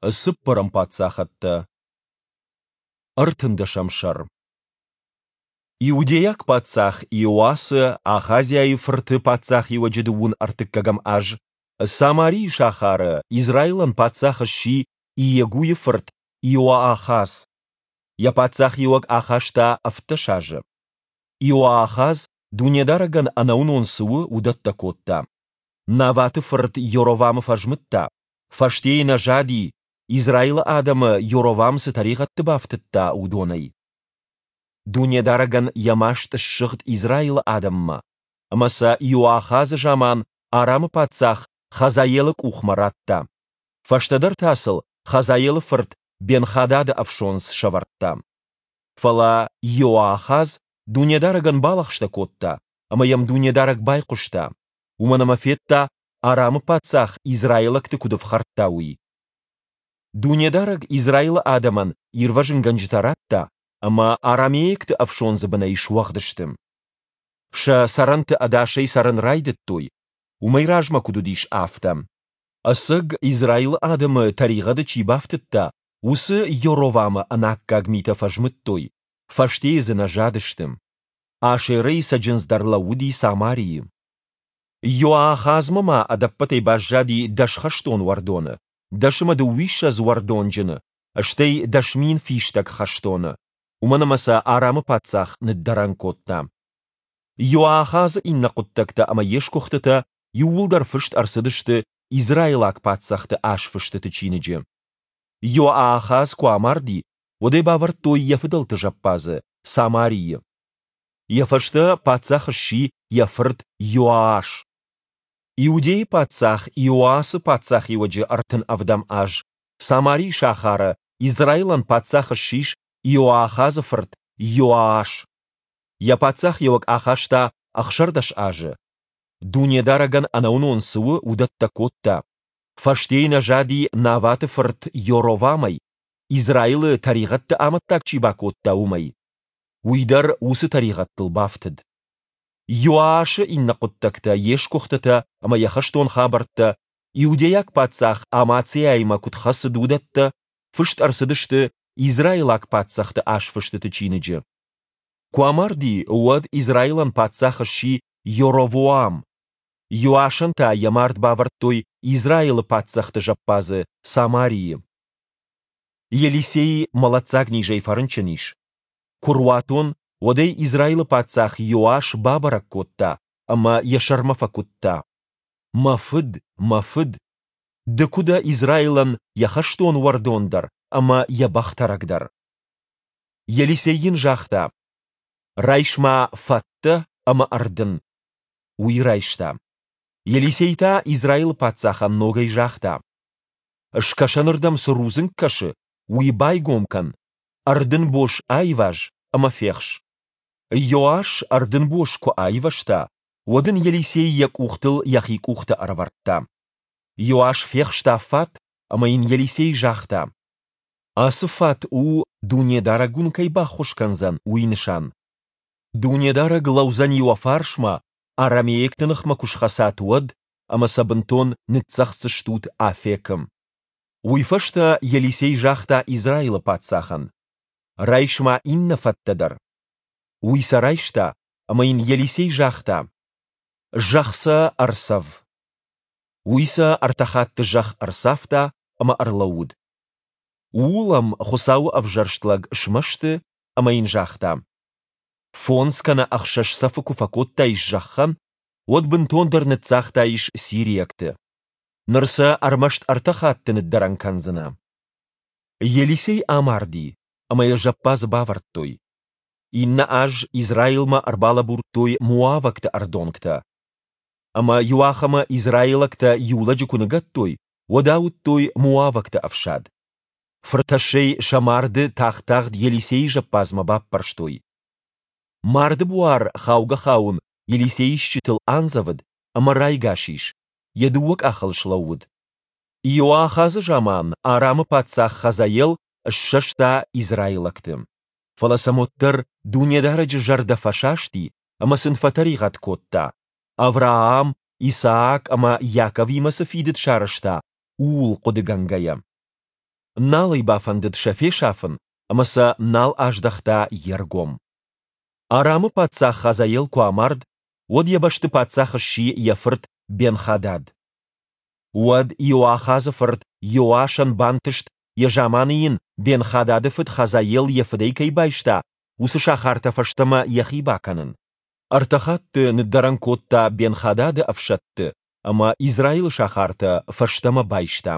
Цыппӕрӕм паддзахӕдтӕ. Ӕртындӕсӕм сӕр. Иудейаг паддзах Иоасы, Ахазиайы фырты паддзахиуӕджы дыууын ӕртыккӕгӕм аз, Самарийы сахары Израилӕн паддзах сси Иегуйы фырт Иоахаз. Йӕ паддзахиуӕг ахаста 17 азы. Иоахаз, Дунедарӕгӕн ӕнӕуынон цы у, уыдӕттӕ кодта. Наваты фырт Йоровамы фӕзмыдта, фӕстейы нӕ зади, Израилы адӕмы Йоровам цы тӕригъӕдты бафтыдта, уыдонӕй. Дунедарӕгӕн йӕ маст ссыгъд Израилы адӕммӕ, ӕмӕ сӕ Иоахазы заман Арамы паддзах Хазаелы къухмӕ радта. Фӕстӕдӕр та сыл Хазаелы фырт Бен-Хадады ӕфсондз сӕвӕрдта. Фӕлӕ Иоахаз Дунедарӕгӕн балӕгъстӕ кодта, ӕмӕ йӕм Дунедарӕг байхъуыста, уымӕн ӕмӕ федта, Арамы паддзах израилӕгты куыд ӕфхӕрдта, уый. Дунедарӕг Израилы адӕмӕн ирвӕзынгӕнджытӕ радта, ӕмӕ арамейӕгты ӕфсондзы бынӕй суӕгъд сты. Сӕ цӕрӕнты ӕдасӕй цӕрын райдыдтой, уымӕй размӕ куыд уыдис, афтӕ. Ӕцӕг Израилы адӕмы тӕригъӕды чи бафтыдта, уыцы Йоровамы ӕнаккаг митӕ фӕзмыдтой, фӕстейы дзы нӕ задысты. Ашерӕйы цӕджындз дӕр лӕууыди Самарийы. Иоахазмӕ ма ӕдӕппӕтӕй баззади дӕс хӕстон уӕрдоны, дӕс ӕмӕ дыууиссӕдз уӕрдонджыны, стӕй 10,000 фистӕг хӕстоны, уымӕн ӕмӕ сӕ Арамы паддзах ныддӕрӕн кодта. Иоахазы иннӕ хъуыддӕгтӕ ӕмӕ йе сгуыхтытӕ иууылдӕр фыст ӕрцыдысты израилаг паддзӕхты азфыстыты чиныджы. Иоахаз куы амарди, уӕд ӕй бавӕрдтой йӕ фыдӕлты зӕппадзы, Самарийы. Йӕ фӕстӕ паддзах сси йӕ фырт Иоас. Иудейы паддзах Иоасы паддзахиуӕджы 37 аз Самарийы сахары Израилӕн паддзах ссис Иоахазы фырт Иоас. Йӕ паддзахиуӕг ахаста 16 азы. Дунедарӕгӕн ӕнӕуынон цы у, уыдӕттӕ кодта. Фӕстейы нӕ зади Наваты фырт Йоровамӕй, Израилы тӕригъӕдты амӕттаг чи бакодта, уымӕй. Уый дӕр уыцы тӕригъӕдтыл бафтыд. Иоашы иннӕ хъуыддӕгтӕ, йе сгуыхтытӕ ӕмӕ йӕ хӕстон хабӕрттӕ, иудейаг паддзах Амациаимӕ куыд хӕцыд, уыдӕттӕ фыст ӕрцыдысты израилаг паддзӕхты азфыстыты чиныджы. Куы амарди, уӕд Израилӕн паддзах сси Йоровоам. Иоашӕн та йӕ мард бавӕрдтой Израилы паддзӕхты зӕппадзы Самарийы. Елисей мӕлӕтдзаг низӕй фӕрынчын ис. Куы руатон, уӕд ӕй Израилы паддзах Иоас бабӕрӕг кодта ӕмӕ йӕ сӕрмӕ фӕкуыдта: «Мӕ фыд, мӕ фыд! Ды куы дӕ Израилӕн йӕ хӕстон уӕрдон дӕр ӕмӕ йӕ бӕхтӕрӕг дӕр!» Елисей йын загъта: «Райс-ма фӕттӕ ӕмӕ ӕрдын». Уый райста. Елисей та Израилы паддзахӕн ногӕй загъта: Скӕсӕнырдӕм цы рудзынг кӕсы, уый байгом кӕн, ӕрдынбос аиваз ӕмӕ фехс. Иоас ӕрдынбос куы аивӕзта, уӕд ын Елисей йӕ къухтыл йӕхи къухтӕ ӕрӕвӕрдта. Иоас фехста фат, ӕмӕ йын Елисей загъта: Ацы фат у, Дунедарӕг уын кӕй баххуыс кӕндзӕн, уый нысан. Дунедарӕг лӕудзӕни уӕ фарсмӕ, арамейӕгты ныхмӕ куы схӕцат, уӕд, ӕмӕ сӕ бынтон ныццӕгъддзыстут Афекы. Уый фӕстӕ Елисей загъта Израилы паддзахӕн: Райс-ма иннӕ фӕттӕ дӕр. Уый сӕ райста, ӕмӕ йын Елисей загъта: Зӕхх сӕ ӕрцӕв. Уый сӕ ӕртӕ хатты зӕхх ӕрцавта ӕмӕ ӕрлӕууыд. Ууыл ӕм Хуыцауы ӕвзӕрст лӕг смӕсты ӕмӕ йын загъта: Фондз кӕнӕ ӕхсӕз цӕфы куы фӕкодтаис зӕххӕн, уӕд бынтондӕр ныццагътаис сириӕгты. Ныр сӕ ӕрмӕст ӕртӕ хатты ныддӕрӕн кӕндзынӕ. Елисей амарди, ӕмӕ йӕ зӕппадзы бавӕрдтой. Иннӕ аз Израилмӕ ӕрбалӕбурдтой моавӕгты ӕрдонгтӕ. Ӕмӕ иуахӕмы израилӕгтӕ иу лӕджы куы ныгӕдтой, уӕд ауыдтой моавӕгты ӕфсад. Фыртӕссӕй сӕ марды тагъд-тагъд Елисейы зӕппадзмӕ баппӕрстой. Марды буар хаугӕ-хауын Елисейы стджытыл андзӕвыд ӕмӕ райгас ис, йӕ дыууӕ къахыл слӕууыд. Иоахазы заман Арамы паддзах Хазаел ссӕста израилӕгты. Фӕлӕ сӕм уӕддӕр Дунедарӕджы зӕрдӕ фӕсасти ӕмӕ сын фӕтӕригъӕд кодта, Авраам, Исаак ӕмӕ Иаковимӕ цы фидыд сарӕзта, ууыл хъуыдыгӕнгӕйӕ. Нал ӕй бафӕндыд сӕ фесафын ӕмӕ сӕ нал аздӕхта йе ргом. Арамы паддзах Хазаел куы амард, уӕд йӕ бӕсты паддзах сси йӕ фырт Бен-Хадад. Уӕд Иоахазы фырт Иоасӕн бантыст, йӕ заманы йын Бен-Хадады фыд Хазаел йӕ фыдӕй кӕй байста, уыцы сахартӕ фӕстӕмӕ йӕхи бакӕнын. Ӕртӕ хатты ныддӕрӕн кодта Бен-Хадады ӕфсӕдты ӕмӕ Израилы сахартӕ фӕстӕмӕ байста.